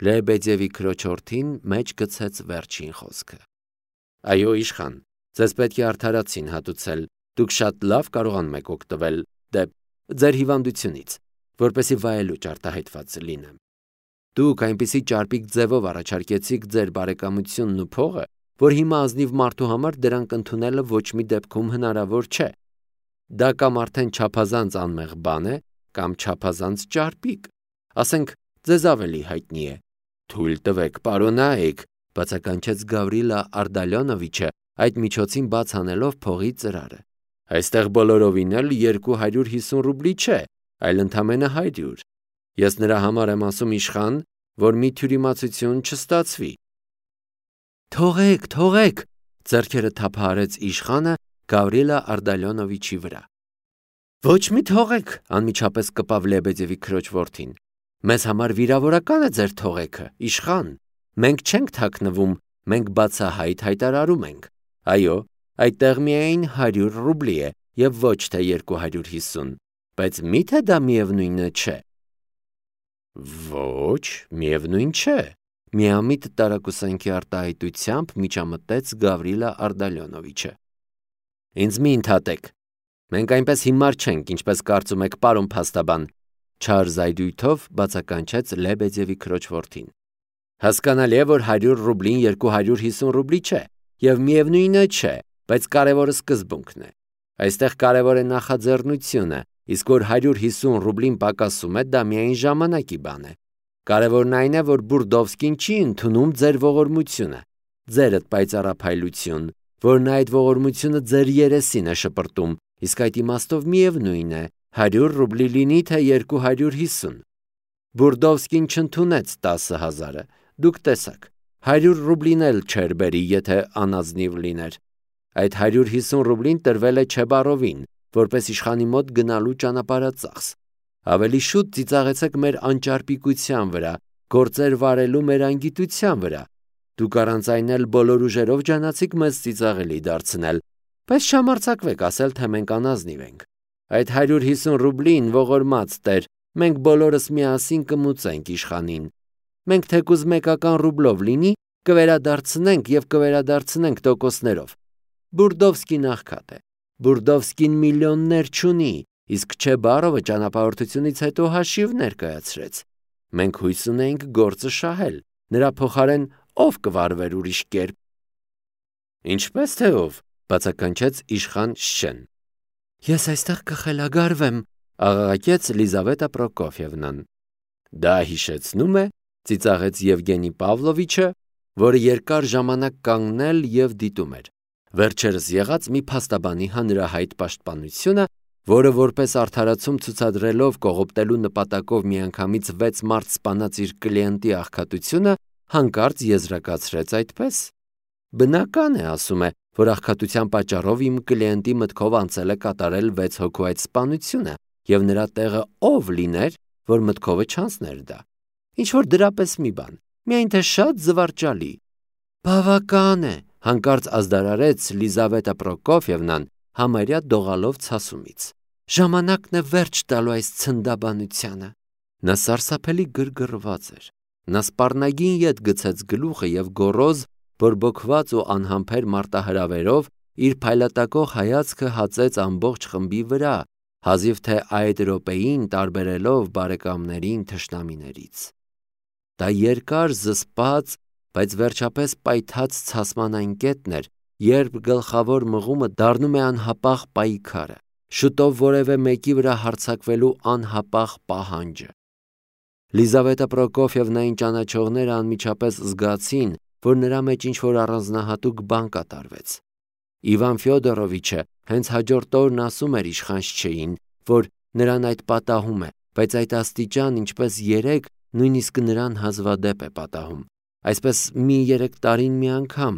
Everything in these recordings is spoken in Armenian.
Լեբեդևի քրոջորդին մեջ գցեց վերջին խոսքը։ Այո, իշխան, ձեզ պետք է արդարացին հատուցել, դուք շատ լավ կարողանում եք օգտվել ձեր հիվանդությունից, որպեսզի վայելուչ արտահայտված լինեմ։ Դուք այնպիսի ճարպիկ ձևով առաջարկեցիք ձեր բարեկամությունն ու փողը, որ հիմա ազնիվ մարդու համար դրանք ընդունելը ոչ մի դեպքում հնարավոր չէ։ Դա կամ արդեն չափազանց անմեղ բան է, կամ չափազանց ճարպիկ։ Ասենք, ձեզ ավելի հայտնի է։ Թույլ տվեք, պարոնայք, բացականչեց Գավրիլա Արդալյոնովիչը, այդ միջոցին բաց անելով փողի ծրարը։ Այստեղ բոլորովին էլ 250 ռուբլի չէ, այլ ընդամենը 100։ Ես նրա համար եմ ասում իշխան, որ մի թյուրիմացություն չստացվի։ Թողեք, ձեռքերը թափահարեց իշխանը Գավրիլա Արդալյոնովիչի վրա։ Ոչ մի թողեք, անմիջապես կպավ Լեբեդևի քրոջ որդին։ Մեզ համար վիրավորական է ձեր թողեքը, իշխան։ Մենք չենք թաքնվում, մենք բացահայտ հայտարարում ենք։ Այո, այդտեղ միայն 100 ռուբլի է եւ ոչ թե 250, բայց միթե դա միևնույնը չէ։ Ոչ, միևնույն չէ, միամիտ տարակուսանքի արտահայտությամբ միջամտեց Գավրիլա Արդալյոնովիչը։ Ինձ մի ընդհատեք։ Մենք այնպես հիմար չենք, ինչպես կարծում եք, պարոն փաստաբան, չար զայդույթով բացականչեց Լեբեդևի քրոջ որդին։ Հասկանալի է, որ 100 ռուբլին 250 ռուբլի չէ, եւ միևնույնը չէ, բայց կարևորը սկզբունքն է։ Այստեղ կարևոր է նախաձեռնությունը, իսկ որ 150 ռուբլին պակասում է, դա միայն ժամանակի բան է։ Կարևորն այն է, որ Բուրդովսկին չի ընդունում ձեր ողորմությունը, ձերդ պայծառափայլություն, որն այդ ողորմությունը ձեր երեսին է շպրտում, իսկ այդ իմաստով միևնույն է, 100 ռուբլի լինի թե 250։ Բուրդովսկին չընդունեց 10,000-ը, դուք տեսաք, 100 ռուբլին էլ չէր բերի, եթե անազնիվ լիներ։ Այդ 150 ռուբլին տրվել է Չեբարովին, որպես իշխանի մոտ գնալու ճանապարհածախս։ Ավելի շուտ ծիծաղեցեք մեր անճարպիկության վրա, գործեր վարելու մեր անգիտության վրա։ Դուք առանց այն էլ բոլոր ուժերով ջանացիք մեզ ծիծաղելի դարձնել, բայց չհամարձակվեք ասել, թե մենք անազնիվ ենք։ Այդ 150 ռուբլին ողորմած տեր, մենք բոլորս միասին կմուծենք իշխանին։ Մենք թեկուզ մեկական ռուբլով լինի, կվերադարձնենք եւ կվերադարձնենք տոկոսներով։ Բուրդովսկին աղքատ է։ Բուրդովսկին միլիոններ չունի, իսկ Չեբարովը ճանապարհորդությունից հետո հաշիվ ներկայացրեց։ Մենք հույս ունենք գործը շահել, նրա փոխարեն ով կվարվեր ուրիշ կերպ։ Ինչպես թե ով, բացականչեց իշխան Շեն։ Ես այստեղ կխելագարվեմ, աղաղակեց Լիզավետա Պրոկոֆիևնան։ Դա հիշեցնում է, ծիծաղեց Եվգենի Պավլովիչը, որը երկար ժամանակ կանգնել եւ դիտում էր։ Վերջերս եղած մի փաստաբանի հանրահայտ պաշտպանությունը, որը որպես արդարացում ցուցադրելով կողոպտելու նպատակով միանգամից 6 մարդ սպանած իր կլիենտի աղքատությունը, հանկարծ եզրակացրեց այդպես։ Բնական է, ասում է, որ աղքատության պատճառով իմ կլիենտի մտքով անցել է կատարել 6 հոգու այդ սպանությունը, եւ նրա տեղը ով լիներ, որ մտքովը չանցներ դա։ Ինչ որ դրապես մի բան, միայն թե շատ զվարճալի։ Բավական է, հանկարծ ազդարարեց Լիզավետա Պրոկոֆիևնան, համարյա դողալով ցասումից։ Ժամանակն է վերջ տալու այս ցնդաբանությանը։ Նա սարսափելի գրգռված էր։ Նա սպառնագին ետ գցեց գլուխը եւ գոռոզ, բորբոքված ու անհամբեր մարտահրավերով իր փայլատակող հայացքը հացեց ամբողջ խմբի վրա, հազիվ թե այդ րոպեին տարբերելով բարեկամներին թշնամիներից։ Դա երկար զսպած, բայց վերջապես պայթած ցասման այն կետն էր, երբ գլխավոր մղումը դառնում է անհապաղ պայքարը, շուտով որևէ մեկի վրա հարձակվելու անհապաղ պահանջը։ Լիզավետա Պրոկոֆիևնային ճանաչողները անմիջապես զգացին, որ նրա մեջ ինչ-որ առանձնահատուկ բան կատարվեց։ Իվան Ֆյոդորովիչը հենց հաջորդ օրն ասում էր իշխանչեին, որ նրան այդ պատահում է, բայց այդ աստիճան, ինչպես 3, նույնիսկ նրան հազվադեպ է պատահում։ Այսպես մի 3 տարին մի անգամ,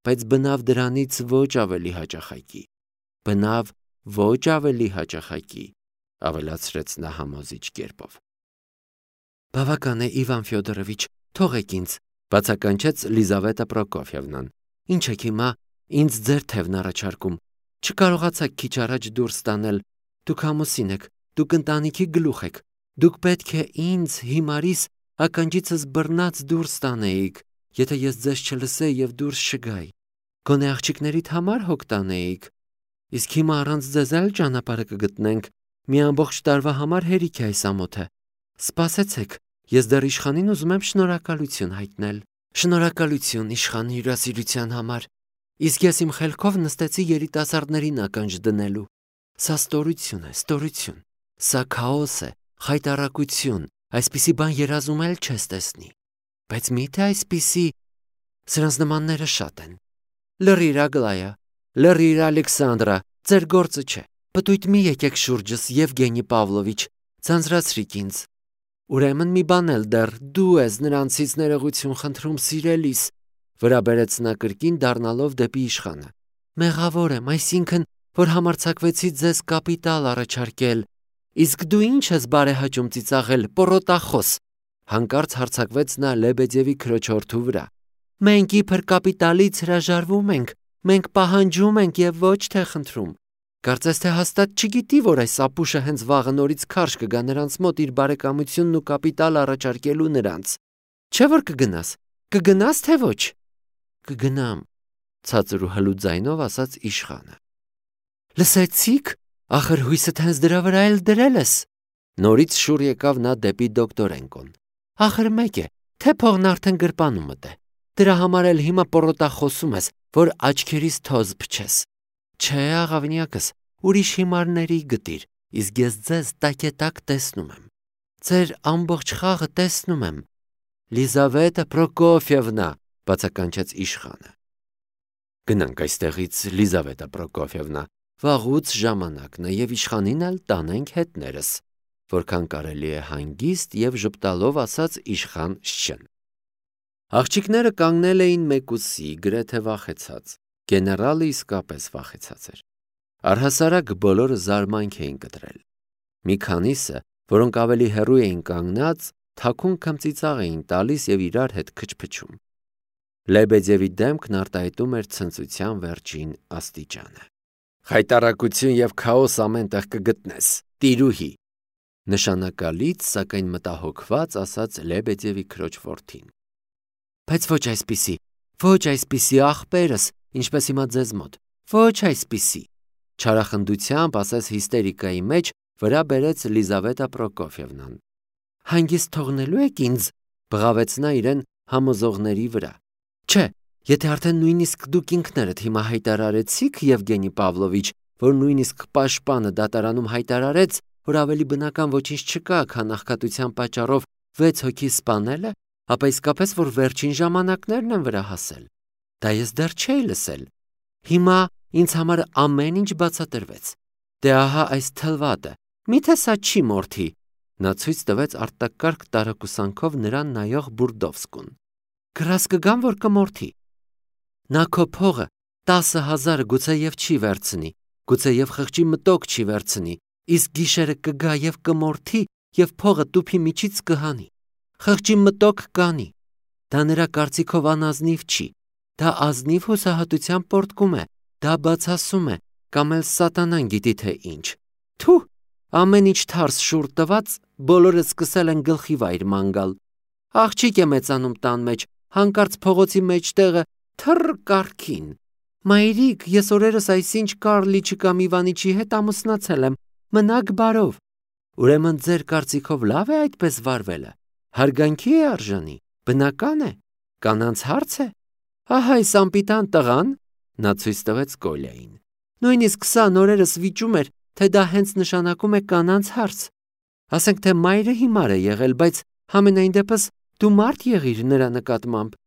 բայց բնավ դրանից ոչ ավելի հաճախակի։ Բնավ ոչ ավելի հաճախակի, ավելացրեց նա համոզիչ կերպով։ Բավական է, Իվան Ֆյոդորովիչ, թողեք ինձ, բացականչեց Լիզավետա Պրոկոֆիևնան։ Ինչ եք հիմա ինձ ձեր թևն առաջարկում։ Չկարողացաք քիչ առաջ դուրս տանել։ Դուք ամուսին եք, դուք ընտանիքի գլուխ եք։ Դուք պետք է ինձ հիմարիս ականջիցս բռնած դուրս տանեիք, եթե ես ձեզ չլսեի եւ դուրս չգայի։ Գոնե աղջիկներիդ համար հոգ տանեիք։ Իսկ հիմա առանց ձեզ էլ ճանապարհը կգտնենք։ Մի ամբողջ տարվա համար հերիք է այս ամոթը։ Սպասեցեք, ես դեռ իշխանին ուզում եմ շնորհակալություն հայտնել։ Շնորհակալություն իշխանի հյուրասիրության համար։ Իսկ ես իմ խելքով նստեցի երիտասարդներին ականջ դնելու։ Սա ստորություն է, ստորություն։ Սա քաոս է, խայտառակություն, այսպիսի բան երազում էլ չես տեսնի։ Բայց միթե այսպիսի սրանց նմանները շատ են։ Լռիր Ագլայա, լռիր Ալեքսանդրա, ձեր գործը չէ։ Պտույտ մի եկեք շուրջս, Եվգենի Պավլովիչ, ձանձրացրիք ինձ։ Ուրեմն մի բան էլ դեռ դու ես նրանցից ներողություն խնդրում սիրելիս, վրա բերեց նա կրկին դառնալով դեպի իշխանը։ Մեղավոր եմ, այսինքն, որ համարձակվեցի ձեզ կապիտալ առաջարկել։ Իսկ դու ինչ ես բարեհաճում ծիծաղել, պոռոտախոս։ Հանկարծ հարձակվեց նա Լեբեդևի քրոջորդու վրա։ Մենք իբր կապիտալից հրաժարվում ենք, մենք պահանջում ենք եւ ոչ թե խնդրում։ Կարծես թե հաստատ չգիտի, որ այս ապուշը հենց վաղը նորից քարշ կգա նրանց մոտ իր բարեկամությունն ու կապիտալ առաջարկելու նրանց։ Չէ՞ որ կգնաս։ Կգնաս թե ոչ։ Կգնամ, ցածր ու հլու ձայնով ասաց իշխանը։ Լսեցիք, ախր հույսդ հենց դրա վրա էլ դրել ես։ Նորից շուռ եկավ նա դեպի դոկտորենկոն։ Ախր մեկ է, թե փողն արդեն գրպանումդ է։ Դրա համար էլ հիմա պոռոտախոսում ես, որ աչքերիս թոզ փչես։ Չէ, աղավնյակս, ուրիշ հիմարների գտիր, իսկ ես ձեզ տակետակ տեսնում եմ։ Ձեր ամբողջ խաղը տեսնում եմ։ Լիզավետա Պրոկոֆիևնա, բացականչեց իշխանը։ Գնանք այստեղից, Լիզավետա Պրոկոֆիևնա, վաղուց ժամանակն է եւ իշխանին էլ տանենք հետներս, որքան կարելի է հանգիստ եւ ժպտալով ասաց իշխան Շչեն։ Աղջիկները կանգնել էին մեկուսի, գրեթե վախեցած։ Գեներալը իսկապես վախեցած էր։ Առհասարակ բոլորը զարմանք էին կտրել։ Մի քանիսը, որոնք ավելի հեռու էին կանգնած, թաքուն քմծիծաղ էին տալիս եւ իրար հետ քչփչում։ Լեբեդևի դեմքն արտահայտում էր ցնծության վերջին աստիճանը։ Խայտառակություն եւ քաոս ամենտեղ կգտնես, տիրուհի։ Նշանակալից, սակայն մտահոգված ասաց Լեբեդևի քրոջ որդին։ Բայց ոչ այսպիսի աղբերս, ինչպես հիմա ձեզ մոտ, ոչ այսպիսի, չարախնդությամբ ասաց հիստերիկայի մեջ, վրա բերեց Լիզավետա Պրոկոֆիևնան։ Հանգիստ թողնելու եք ինձ, բղավեց նա իրեն համոզողների վրա։ Չէ, եթե արդեն նույնիսկ դուք ինքներդ հիմա հայտարարեցիք, Եվգենի Պավլովիչ, որ նույնիսկ պաշտպանը դատարանում հայտարարեց, որ ավելի բնական ոչինչ չկա, քան աղքատության պատճառով 6 հոգի սպանելը, ապա իսկապես որ վերջին ժամանակներն են վրա հասել։ Դա ես դեռ չէի լսել։ Հիմա ինձ համար ամեն ինչ բացատրվեց։ Դե ահա այս թլվատը, միթե սա չի մորթի։ Նա ցույց տվեց արտակարգ տարակուսանքով նրան նայող Բուրդովսկուն։ Գրաս կգամ, որ կմորթի։ Նա քո փողը 10,000 գուցեև չի վերցնի, գուցեև խղճի մտոք չի վերցնի, իսկ գիշերը կգա եւ կմորթի եւ փողը տուփի միջից կհանի։ Խղճի մտոք կանի։ Դա նրա կարծիքով անազնիվ չի։ Դա ազնիվ հուսահատության պորտկում է, դա բացասում է, կամ էլ սատանան գիտի թե ինչ։ Թու, ամեն ինչ թարս շուռ տված, բոլորը սկսել են գլխի վայր ման գալ։ Աղջիկ է մեծանում տան մեջ, հանկարծ փողոցի մեջտեղը թռ կառքին։ Մայրիկ, ես օրերս այսինչ Կարլիչի կամ Իվանիչի հետ ամուսնացել եմ, մնաք բարով։ Ուրեմն ձեր կարծիքով լավ է այդպես վարվելը։ Հարգանքի է արժանի, բնական է, կանանց հարց է։ Ահա այս անպիտան տղան, նա ցույց տվեց Կոլյային։ Նույնիսկ սա նորերս վիճում էր, թե դա հենց նշանակում է կանանց հարց։ Ասենք թե մայրը հիմար է եղել, բայց համենայն դեպս դու մարդ եղիր նրա նկատմամբ։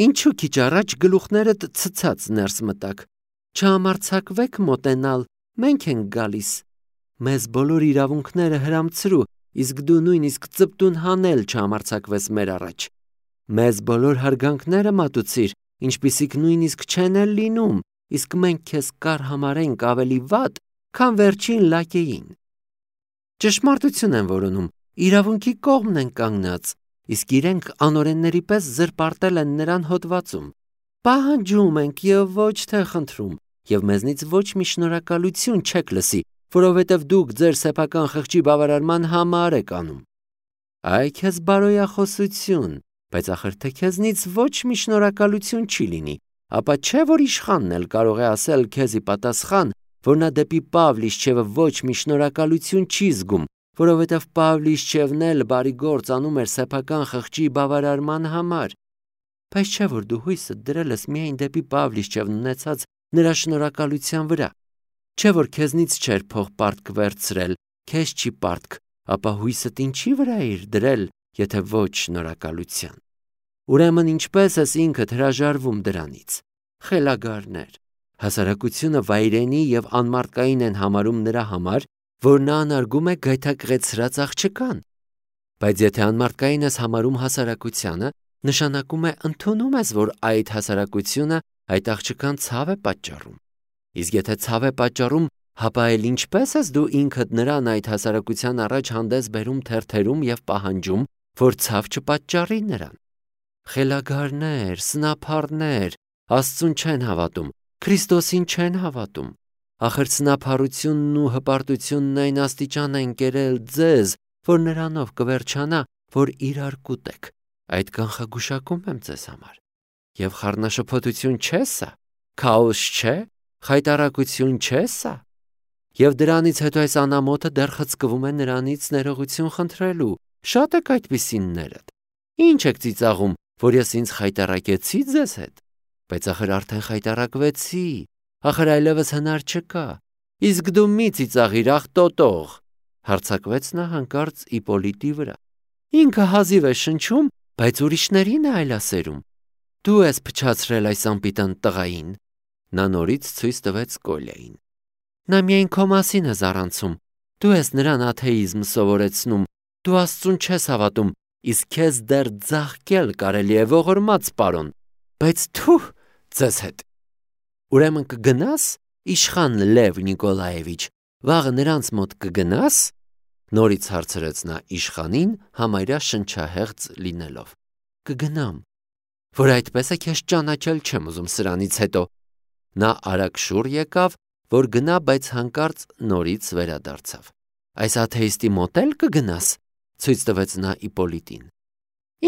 Ինչու քիչ առաջ գլուխներդ ցցած ներս մտակ։ Չհամարձակվեք մոտենալ, մենք ենք գալիս։ Մեզ բոլոր իրավունքները հրամցրու, իսկ դու նույնիսկ ծպտուն հանել չհամարձակվես մեր առաջ։ Մեզ բոլոր հարգանքները մատուցիր, ինչպիսիք նույնիսկ չեն էլ լինում, իսկ մենք քեզ կար համարենք ավելի վատ, քան վերջին լակեին։ Ճշմարտություն են որոնում, իրավունքի կողմն են կանգնած, իսկ իրենք անօրենների պես զրպարտել են նրան հոդվածում։ Պահանջում ենք եւ ոչ թե խնդրում, եւ մեզնից ոչ մի շնորհակալություն չեք լսի, որովհետև դուք ձեր սեփական խղճի բավարարման համար եք անում։ Այ քեզ բարոյախոսություն, բայց ախր թե քեզնից ոչ մի շնորհակալություն չի լինի, ապա չէ որ իշխանն էլ կարող է ասել քեզի պատասխան, որ նա դեպի Պավլիշչևը ոչ մի շնորհակալություն չի զգում, որովհետև Պավլիշչևն էլ բարի գործ անում էր սեփական խղճի բավարարման համար։ Բայց չէ որ դու հույսդ դրել ես միայն դեպի Պավլիշչևն ունեցած նրա շնորհակալության վրա։ Չէ որ քեզնից չէր փող պարտք վերցրել, քեզ չի պարտք, ապա հույսդ ինչի վրա էր դրել, եթե ոչ շնորհակալության։ Ուրեմն ինչպես ես ինքդ հրաժարվում դրանից։ Խելագարներ, հասարակությունը վայրենի եւ անմարդկային են համարում նրա համար, որ նա անարգում է գայթակղեցրած աղջկան։ Բայց եթե անմարդկային ես համարում հասարակությանը, նշանակում է ընդունում ես, որ այդ հասարակությունը այդ աղջկան ցավ է պատճառում։ Իսկ եթե ցավ է պատճառում, հապա էլ ինչպես ես դու ինքդ նրան այդ հասարակության առաջ հանդես բերում թերթերում եւ պահանջում, որ ցավ չպատճառի նրան։ Խելագարներ, սնափառներ, Աստծուն չեն հավատում, Քրիստոսին չեն հավատում։ Ախր սնափառությունն ու հպարտությունն այն աստիճան են կերել ձեզ, որ նրանով կվերջանա, որ իրար կուտեք։ Այդ կանխագուշակում եմ ձեզ համար։ Եվ խառնաշփոթություն չէ սա, քաոս չէ, խայտառակություն չէ սա։ Եվ դրանից հետո այս անամոթը դեռ խցկվում է նրանից ներողություն խնդրելու։ Շատ եք այդպիսիններդ։ Ինչ եք ծիծաղում, որ ես ինձ խայտառակեցի ձեզ հետ։ Բայց ախր արդեն խայտառակվեցի, ախր այլևս հնար չկա։ Իսկ դու մի ծիծաղիր, ախ տոտող, հարձակվեց նա հանկարծ Իպոլիտի վրա։ Ինքը հազիվ է շնչում, բայց ուրիշներին է այլասերում։ Դու ես փչացրել այս անպիտան տղային։ Նա նորից ցույց տվեց Կոլյային։ Նա միայն քո մասին է զառանցում։ Դու ես նրան աթեիզմ սովորեցնում։ Դու Աստծուն չես հավատում, իսկ քեզ դեռ ձաղկել կարելի է ողորմած պարոն։ Բայց թուh ձեզ հետ։ Ուրեմն կգնաս, իշխան Լև Նիկոլաևիչ, վաղը նրանց մոտ կգնաս։ Նորից հարցրեց նա իշխանին, համարյա շնչահեղձ լինելով։ Կգնամ, որ այդպես է քեզ ճանաչել չեմ ուզում սրանից հետո։ Նա արագ շուռ եկավ, որ գնա, բայց հանկարծ նորից վերադարձավ։ Այս աթեիստի մոտ էլ կգնաս, ցույց տվեց նա Իպոլիտին։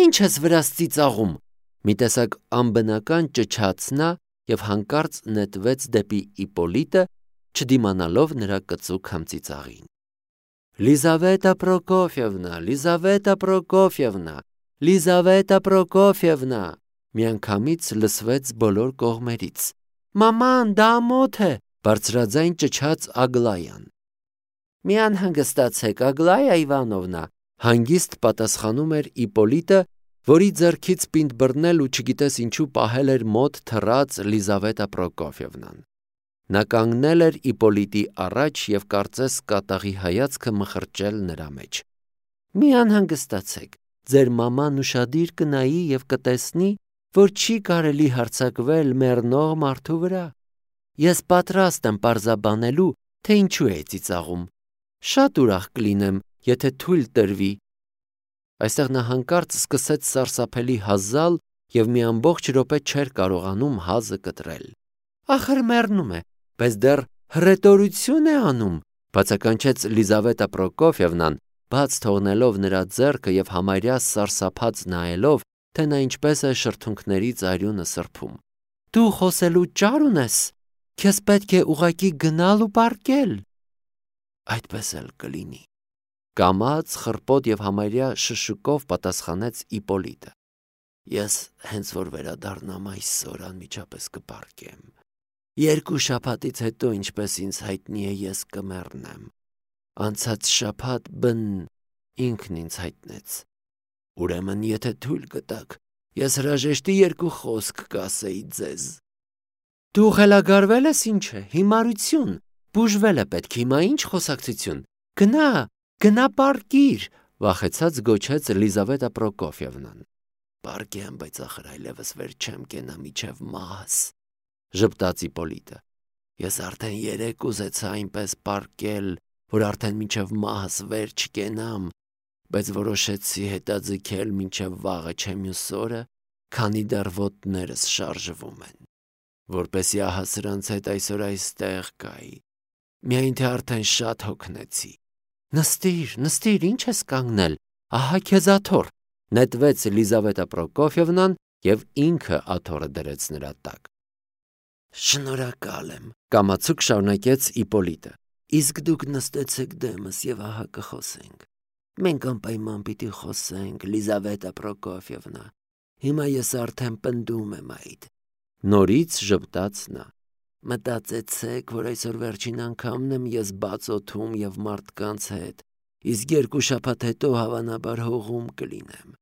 Ինչ ես վրաս ծիծաղում։ Մի տեսակ անբնական ճչաց նա եւ հանկարծ նետվեց դեպի Իպոլիտը, չդիմանալով նրա կծուկ համծիծաղին։ Լիզավետա Պրոկոֆիևնա, Լիզավետա Պրոկոֆիևնա, Լիզավետա Պրոկոֆիևնա, միանգամից լսվեց բոլոր կողմերից։ Մաման, դա ամոթ է, բարձրաձայն ճչաց Ագլայան։ Մի անհանգստացեք, Ագլայա Իվանովնա, հանգիստ պատասխանում էր Իպոլիտը, որի ձեռքից պինդ բռնել ու չգիտես ինչու պահել էր մոտ թռած Լիզավետա Պրոկոֆիևնան։ Նա կանգնել էր Իպոլիտի առաջ եւ կարծես կատաղի հայացքը մխրճել նրա մեջ։ Մի անհանգստացեք, ձեր մաման ուշադիր կնայի եւ կտեսնի, որ չի կարելի հարձակվել մեռնող մարդու վրա։ Ես պատրաստ եմ պարզաբանելու, թե ինչու է ծիծաղում։ Շատ ուրախ կլինեմ, եթե թույլ տրվի։ Այստեղ նա հանկարծ սկսեց սարսափելի հազալ եւ մի ամբողջ րոպե չէր կարողանում հազը կտրել։ Ախր մեռնում է, բայց դեռ հռետորություն է անում, բացականչեց Լիզավետա Պրոկոֆիևնան, բաց թողնելով նրա ձեռքը եւ համարյա սարսափած նայելով, թե նա ինչպես է շրթունքներից արյունը սրբում։ Դու խոսելու ճար ունես, քեզ պետք է ուղակի գնալ ու պառկել։ Այդպես էլ կլինի։ Կամաց, խռպոտ եւ համարյա շշուկով պատասխանեց Իպոլիտը։ Ես հենց որ վերադառնամ այսօր անմիջապես կպառկեմ։ 2 շաբաթից հետո, ինչպես ինձ հայտնի է, ես կմեռնեմ։ Անցած շաբաթ բն ինքն ինձ հայտնեց։ Ուրեմն, եթե թույլ կտաք, ես հրաժեշտի 2 խոսք կասեի ձեզ։ Դու խելագարվել ես ինչ է, հիմարություն, բուժվել է պետք, հիմա ինչ խոսակցություն։ Գնա պառկիր, վախեցած գոչեց Լիզավետա Պրոկոֆիևնան։ Պառկեմ, բայց ախր այլևս վեր չեմ կենա միջև մահս, ժպտաց Իպոլիտը։ Ես արդեն 3 ուզեցա այնպես պառկել, որ արդեն միջև մահս վեր չկենամ, բայց որոշեցի հետաձգել մինչև վաղը չէ մյուս օրը, քանի դեռ ոտներս շարժվում են, որպեսզի ահա սրանց հետ այսօր այստեղ կայի, միայն թե արդեն շատ հոգնեցի։ Նստիր, ինչ ես կանգնել, Ահա քեզ աթոռ, նետվեց Լիզավետա Պրոկոֆիևնան և ինքը աթոռը դրեց նրա տակ։ Շնորհակալ եմ, կամացուկ շարունակեց Իպոլիտը։ Իսկ դուք նստեցեք դեմս և ահա կխոսենք։ Մենք անպայման պիտի խոսենք, Լիզավետա Պրոկոֆիևնա։ Հիմա ես արդեն պնդում եմ այդ։ Նորից ժպտաց նա։ Մտածեցեք, որ այսօր վերջին անգամն եմ ես բաց օդում և մարդկանց հետ, իսկ 2 շաբաթ հետո հավանաբար հողում կլինեմ։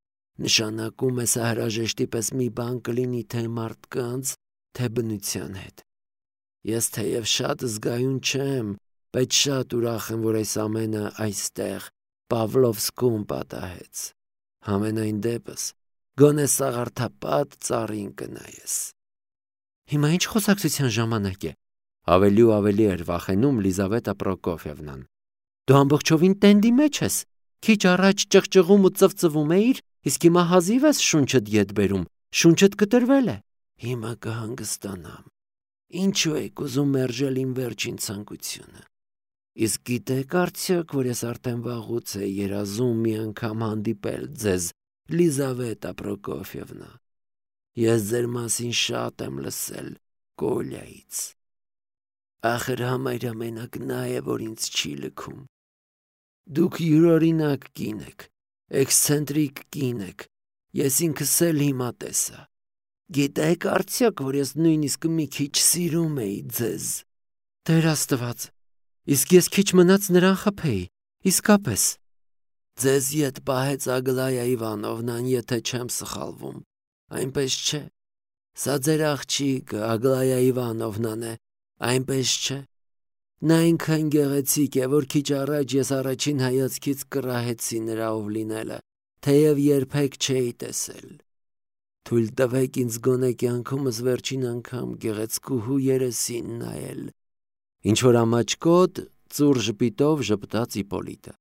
Նշանակում է սա հրաժեշտի պես մի բան կլինի թե մարդկանց, թե բնության հետ։ Ես թեև շատ զգայուն չեմ, բայց շատ ուրախ եմ, որ այս ամենը այստեղ Պավլովսկում պատահեց։ Համենայն դեպս, գոնե սաղարթապատ ծառին կնայես։ Հիմա ինչ խոսակցության ժամանակ է, ավելի ու ավելի էր վախենում Լիզավետա Պրոկոֆիևնան։ Դու ամբողջովին տենդի մեջ ես, քիչ առաջ ճղճղում ու ծվծվում էիր, իսկ հիմա հազիվ ես շունչդ ետ բերում, շունչդ կտրվել է։ Հիմա կհանգստանամ։ Ինչու եք ուզում մերժել իմ վերջին ցանկությունը։ Իսկ գիտեք արդյոք, որ ես արդեն վաղուց էի երազում մի անգամ հանդիպել ձեզ, Լիզավետա Պրոկոֆիևնա։ Ես ձեր մասին շատ եմ լսել Կոլյայից։ Ախր համարյա մենակ նա է, որ ինձ չի լքում։ Դուք յուրօրինակ կին եք, էքսցենտրիկ կին եք, ես ինքս էլ հիմա տեսա։ Գիտեք արդյոք, որ ես նույնիսկ մի քիչ սիրում էի ձեզ։ Տեր Աստված, իսկ ես քիչ մնաց նրան խփեի, իսկապես։ Ձեզ ետ պահեց Ագլայա Իվանովնան, եթե չեմ սխալվում, այնպես չէ։ Սա ձեր աղջիկը Ագլայա Իվանովնան է, այնպես չէ։ Նա այնքան գեղեցիկ է, որ քիչ առաջ ես առաջին հայացքից կռահեցի նրա ով լինելը, թեև երբեք չէի տեսել։ Թույլ տվեք ինձ գոնե կյանքումս վերջին անգամ գեղեցկուհու երեսին նայել։ Ինչ-որ ամաչկոտ ծուռ ժպիտով ժպտաց Իպոլիտը։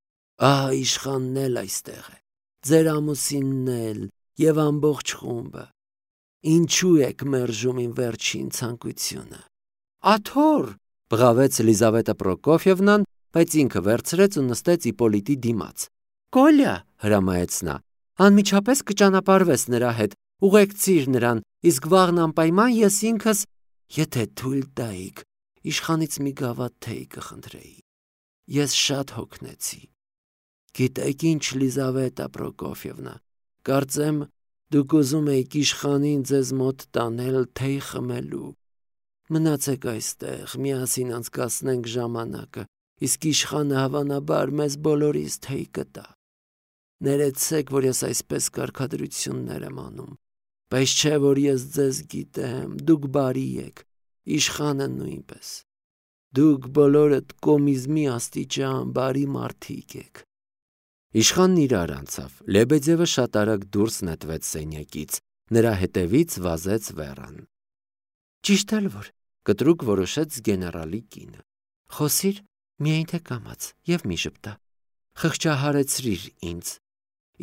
Ահա իշխանն էլ այստեղ է, ձեր ամուսինն էլ և ամբողջ խումբը։ Ինչու եք մերժում իմ վերջին ցանկությունը։ Աթոռ, բղավեց Լիզավետա Պրոկոֆիևնան, բայց ինքը վերցրեց ու նստեց Իպոլիտի դիմաց։ Կոլյա, հրամայեց նա, անմիջապես կճանապարհվես նրա հետ, ուղեկցիր նրան, իսկ վաղն անպայման ես ինքս, եթե թույլ տայիք, իշխանից մի գավաթ թեյ կխնդրեի։ Ես շատ հոգնեցի։ Գիտեք ինչ, Լիզավետա Պրոկոֆիևնա, կարծեմ դուք ուզում եք իշխանին ձեզ մոտ տանել թեյ խմելու։ Մնացեք այստեղ, միասին անցկացնենք ժամանակը, իսկ իշխանը հավանաբար մեզ բոլորիս թեյ կտա։ Ներեցեք, որ ես այսպես կարգադրություններ եմ անում, բայց չէ, որ ես ձեզ գիտեմ, դուք բարի եք, իշխանը նույնպես։ Դուք բոլորդ կոմիզմի աստիճան բարի մարդիկ եք։ Իշխանն իրար անցավ, Լեբեդևը շատ արագ դուրս նետվեց սենյակից, նրա հետևից վազեց Վերան։ Ճիշտ էլ որ, կտրուկ որոշեց գեներալի կինը։ Խոսիր, միայն թե կամաց և մի ժպտա։ Խղճահարեցրիր ինձ։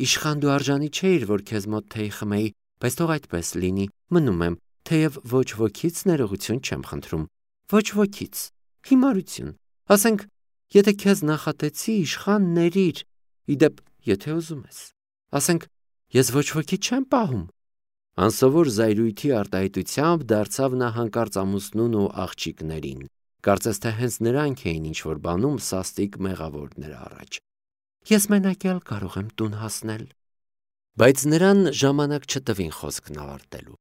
Իշխան դու արժանի չէիր, որ քեզ մոտ թեյ խմեի, բայց թող այդպես լինի, մնում եմ, թեև ոչ ոքից ներողություն չեմ խնդրում, ոչ ոքից, հիմարություն, ասենք, եթե քեզ նախատեցի, իշխան ներիր, իդեպ, եթե ուզում ես, ասենք, ես ոչ ոքի չեմ պահում։ Անսովոր զայրույթի արտահայտությամբ դարձավ նա հանկարծ ամուսնուն ու աղջիկներին, կարծես թե հենց նրանք էին ինչ-որ բանում սաստիկ մեղավոր նրա առաջ։ Ես մենակ էլ կարող եմ տուն հասնել։ Բայց նրան ժամանակ չտվին խոսքն ավարտելու։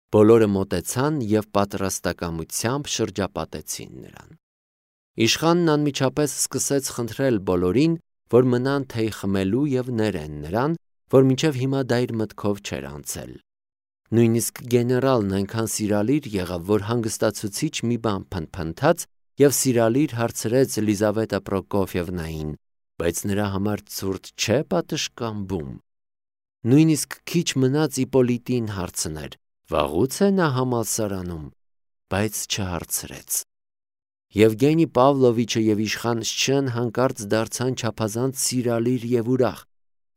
Բոլորը մոտեցան և պատրաստակամությամբ շրջապատեցին նրան։ Իշխանն անմիջապես սկսեց խնդրել բոլորին, որ մնան թեյ խմելու և ներեն նրան, որ մինչև հիմա դա իր մտքով չէր անցել։ Նույնիսկ գեներալն այնքան սիրալիր եղավ, որ հանգստացուցիչ մի բան փնթփնթաց և սիրալիր հարցրեց Լիզավետա Պրոկոֆիևնային, բայց նրա համար ցուրտ չէ պատշգամբում։ Նույնիսկ քիչ մնաց Իպոլիտին հարցներ, վաղուց է նա համալսարանում, բայց չհարցրեց։ Եվգենի Պավլովիչը և իշխան Շչեն հանկարծ դարձան չափազանց սիրալիր և ուրախ։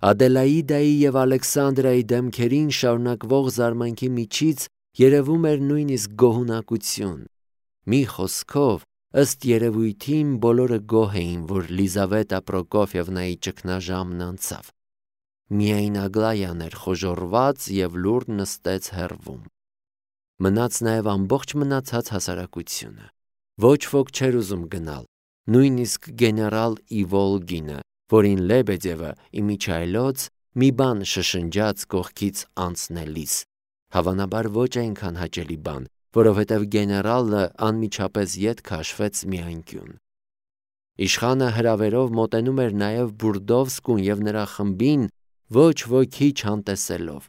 Ադելաիդայի և Ալեքսանդրայի դեմքերին շարունակվող զարմանքի միջից երևում էր նույնիսկ գոհունակություն։ Մի խոսքով, ըստ երևույթին բոլորը գոհ էին, որ Լիզավետա Պրոկոֆիևնայի ճգնաժամն անցավ։ միայն Ագլայան էր խոժոռված և լուռ նստեց հեռվում։ Մնաց նաև ամբողջ մնացած հասարակությունը։ Ոչ ոք չէր ուզում գնալ, նույնիսկ գեներալ Իվոլգինը, որին Լեբեդևը իմիջիայլոց մի բան շշնջաց կողքից անցնելիս, հավանաբար ոչ այնքան հաճելի բան, որովհետև գեներալը անմիջապես ետ քաշվեց մի անկյուն։ Իշխանը հրավերով մոտենում էր նաև Բուրդովսկուն և նրա խմբին ոչ ոքի չանտեսելով։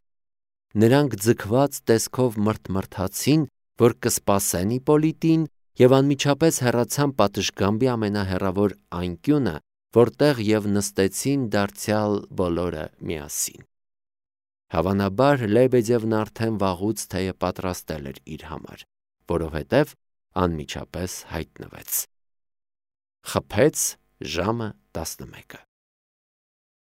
Նրանք ձգված տեսքով մռթմռթացին, որ կսպասեն Իպոլիտին, և անմիջապես հեռացան պատշգամբի ամենահեռավոր անկյունը, որտեղ և նստեցին դարձյալ բոլորը միասին։ Հավանաբար Լեբեդևն արդեն վաղուց թեյը պատրաստել էր իր համար, որովհետև անմիջապես հայտնվեց։ Խփեց ժամը 11-ը։